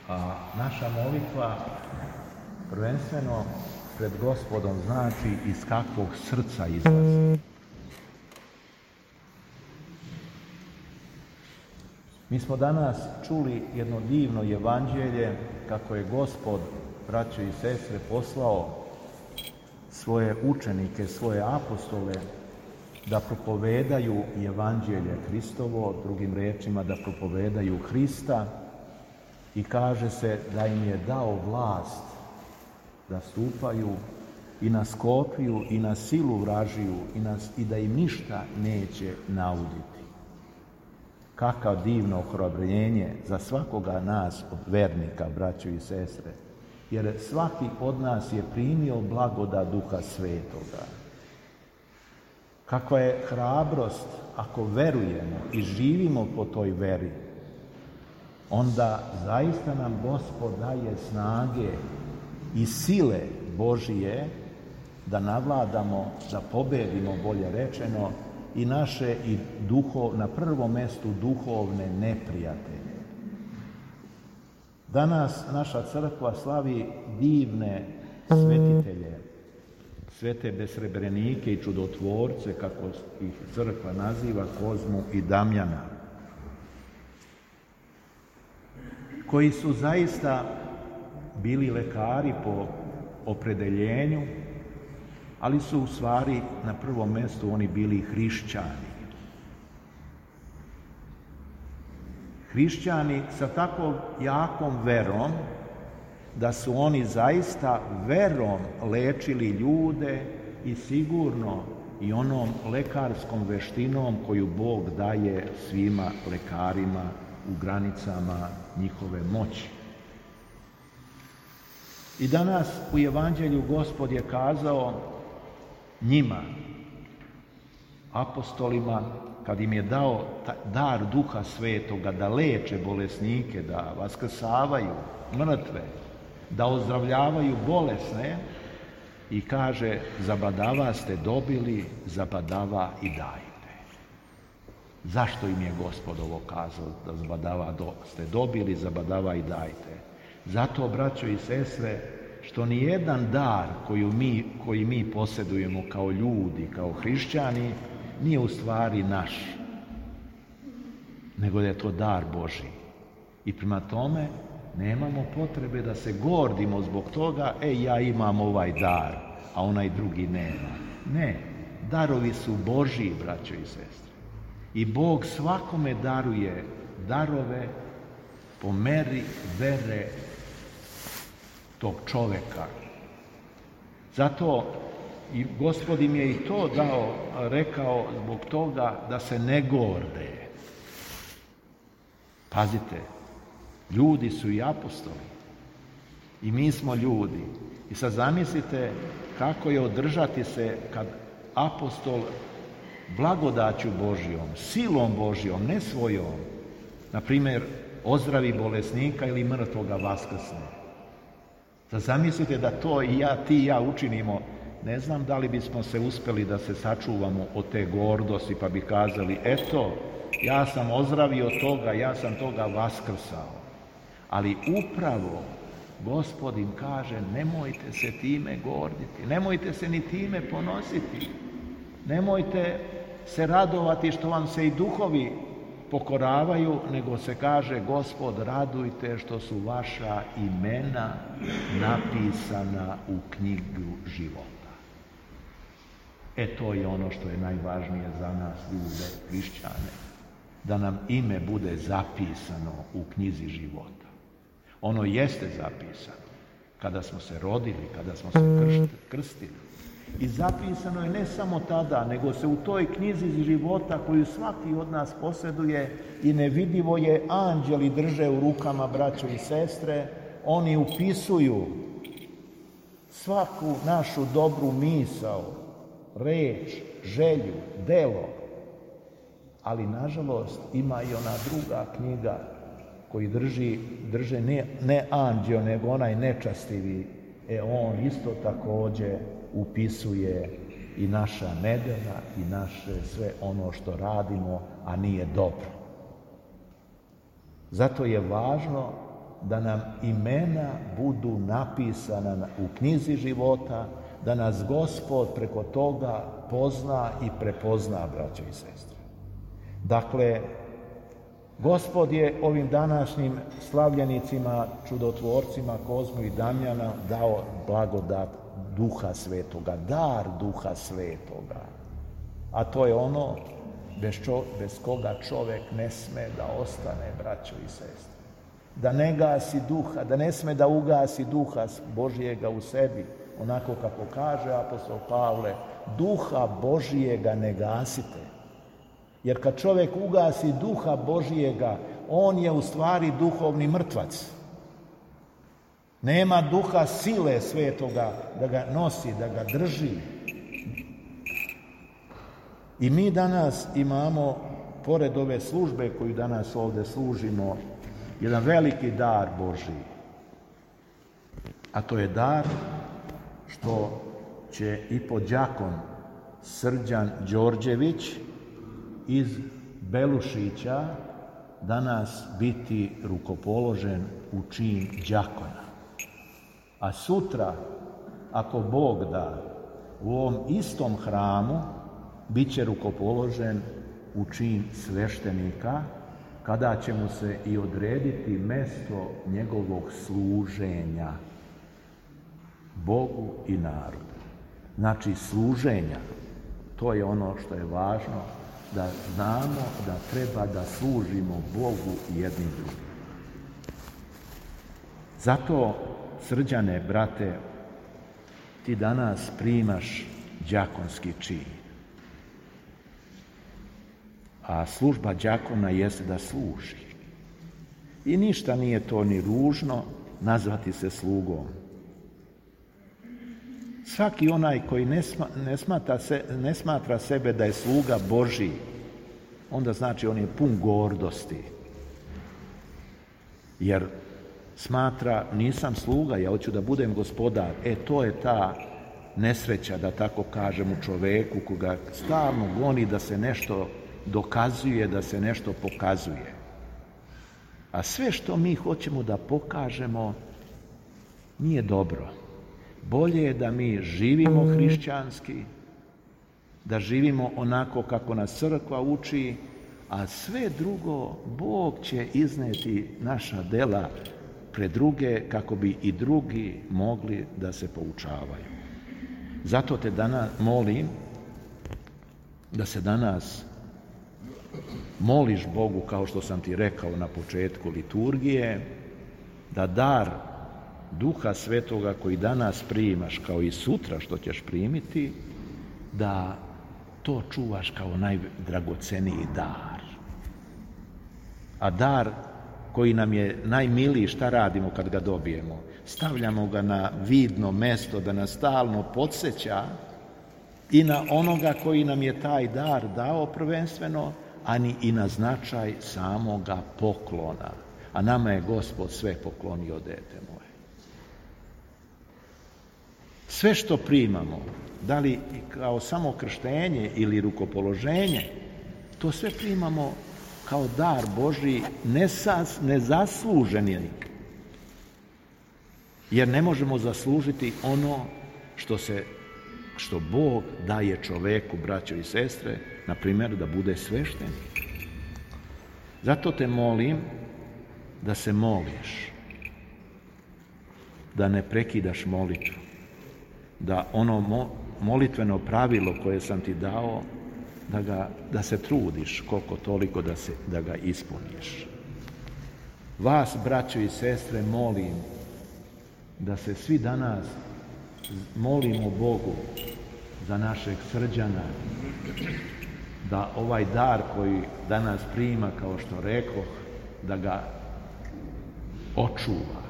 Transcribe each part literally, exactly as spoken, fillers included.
A naša molitva prvenstveno pred Gospodom znači iz kakvog srca izlazi. Mi smo danas čuli jedno divno evanđelje kako je Gospod, braćo i sestre, poslao svoje učenike, svoje apostole da propovedaju evanđelje Hristovo, drugim rečima da propovedaju Hrista, i kaže se da im je dao vlast da stupaju i na Skopju i na silu vražiju i, na, i da im ništa neće nauditi. Kakav divno ohrabrenje za svakoga nas od vernika, braćo i sestre, jer svaki od nas je primio blagodat Duha Svetoga. Kakva je hrabrost ako verujemo i živimo po toj veri, onda zaista nam Gospod daje snage i sile Božije da navladamo, da pobedimo, bolje rečeno, i naše i duhov, na prvom mjestu duhovne neprijatelje. Danas naša crkva slavi divne svetitelje, svete besrebrenike i čudotvorce, kako ih crkva naziva, Kozmu i Damjana, koji su zaista bili lekari po opredeljenju, ali su u stvari na prvom mjestu oni bili hrišćani. Hrišćani sa tako jakom verom da su oni zaista verom lečili ljude i sigurno i onom lekarskom veštinom koju Bog daje svima lekarima u granicama njihove moći. I danas u evanđelju Gospod je kazao njima, apostolima, kad im je dao dar Duha Svetoga da leče bolesnike, da vaskrsavaju mrtve, da ozdravljavaju bolesne, i kaže, zabadava ste dobili, zabadava i dajte. Zašto im je Gospod ovo kazao, da zabadava do, ste dobili, zabadava i dajte? Zato, braćo i sestre, što ni jedan dar koji mi, koji mi posjedujemo kao ljudi, kao hrišćani, nije u stvari naš, nego da je to dar Božji. I prema tome nemamo potrebe da se gordimo zbog toga, e, ja imam ovaj dar, a onaj drugi nema. Ne, darovi su Božji, braćo i sestre. I Bog svakome daruje darove po meri vere tog čoveka. Zato i Gospod im je i to dao, rekao zbog toga da se ne gorde. Pazite, ljudi su i apostoli. I mi smo ljudi. I sad zamislite kako je održati se kad apostol blagodaću Božjom, silom Božjom, ne svojom, na primjer, ozdravi bolesnika ili mrtvoga vaskrsne. Sad zamislite da to i ja, ti i ja učinimo. Ne znam da li bismo se uspjeli da se sačuvamo od te gordosti pa bi kazali, eto, ja sam ozdravio toga, ja sam toga vaskrsao. Ali upravo Gospod im kaže, nemojte se time gorditi, nemojte se ni time ponositi, nemojte se radovati što vam se i duhovi pokoravaju, nego se kaže, Gospod, radujte što su vaša imena napisana u knjigu života. E, to je ono što je najvažnije za nas, ljude, hrišćane, da nam ime bude zapisano u knjizi života. Ono jeste zapisano kada smo se rodili, kada smo se krstili. I zapisano je ne samo tada, nego se u toj knjizi života koju svaki od nas posjeduje i nevidivo je anđeli drže u rukama, braćo i sestre, oni upisuju svaku našu dobru misao, reč, želju, delo. Ali nažalost ima i ona druga knjiga koji drži, drže ne, ne anđeo, nego onaj nečastivi, e on isto također upisuje i naša nedjela i naše sve ono što radimo, a nije dobro. Zato je važno da nam imena budu napisana u knjizi života, da nas Gospod preko toga pozna i prepozna, braćo i sestre. Dakle, Gospod je ovim današnjim slavljenicima, čudotvorcima Kozmu i Damjana dao blagodat Duha Svetoga, dar Duha Svetoga. A to je ono bez, čo, bez koga čovjek ne sme da ostane, braćo i sestre. Da ne gasi duha, da ne sme da ugasi duha Božijega u sebi, onako kako kaže apostol Pavle, duha Božijega ne gasite. Jer kad čovjek ugasi duha Božijega, on je u stvari duhovni mrtvac. Nema duha sile svetoga da ga nosi, da ga drži. I mi danas imamo, pored ove službe koju danas ovdje služimo, jedan veliki dar Božji. A to je dar što će i podđakon Srđan Đorđević iz Belušića danas biti rukopoložen u čin đakona. A sutra, ako Bog da, u ovom istom hramu bit će rukopoložen u čin sveštenika, kada će mu se i odrediti mesto njegovog služenja Bogu i narodu. Znači, služenja, to je ono što je važno, da znamo da treba da služimo Bogu jednim drugim. Zato, Srđane, brate, ti danas primaš đakonski čin. A služba đakona jeste da služi. I ništa nije to ni ružno nazvati se slugom. Svaki onaj koji ne, sma, ne, smatra se, ne smatra sebe da je sluga Božji, onda znači on je pun gordosti. Jer smatra, nisam sluga, ja hoću da budem gospodar. E, to je ta nesreća, da tako kažem, u čoveku koga stalno goni da se nešto dokazuje, da se nešto pokazuje. A sve što mi hoćemo da pokažemo nije dobro. Bolje je da mi živimo hrišćanski, da živimo onako kako nas crkva uči, a sve drugo Bog će izneti naša dela pred druge kako bi i drugi mogli da se poučavaju. Zato te danas molim da se danas moliš Bogu, kao što sam ti rekao na početku liturgije, da dar Duha Svetoga koji danas primaš, kao i sutra što ćeš primiti, da to čuvaš kao najdragoceniji dar. A dar koji nam je najmiliji, šta radimo kad ga dobijemo? Stavljamo ga na vidno mesto da nas stalno podsjeća i na onoga koji nam je taj dar dao prvenstveno, ani i na značaj samoga poklona. A nama je Gospod sve poklonio, dete moje. Sve što primamo, da li kao samo krštenje ili rukopoloženje, to sve primamo kao dar Božji, nesas, nezasluženi. Jer ne možemo zaslužiti ono što se, što Bog daje čoveku, braćo i sestre, na primjer da bude sveštenik. Zato te molim da se moliš, da ne prekidaš molitvu, da ono mo, molitveno pravilo koje sam ti dao, da, ga, da se trudiš koliko toliko da, se, da ga ispuniš. Vas, braćo i sestre, molim da se svi danas molimo Bogu za našeg Srđana, da ovaj dar koji danas prima, kao što rekoh, da ga očuva,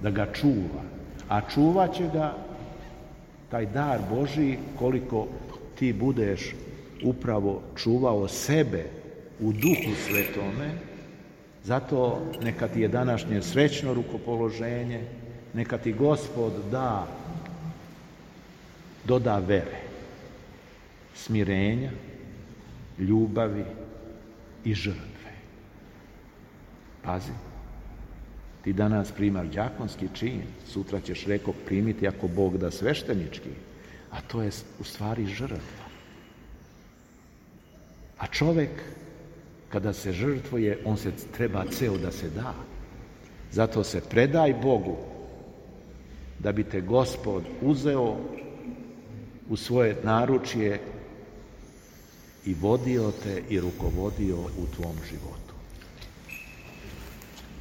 da ga čuva. A čuvat će ga taj dar Božji koliko ti budeš upravo čuvao sebe u Duhu Svetome. Zato neka ti je današnje srećno rukopoloženje, neka ti Gospod da, doda vere, smirenja, ljubavi i žrtve. Pazi, Ti danas primaš đakonski čin, sutra ćeš, reko, primiti ako Bog da sveštenički, a to je u stvari žrtva. A čovjek, kada se žrtvuje, on se treba ceo da se da. Zato se predaj Bogu, da bi te Gospod uzeo u svoje naručje i vodio te i rukovodio u tvom životu.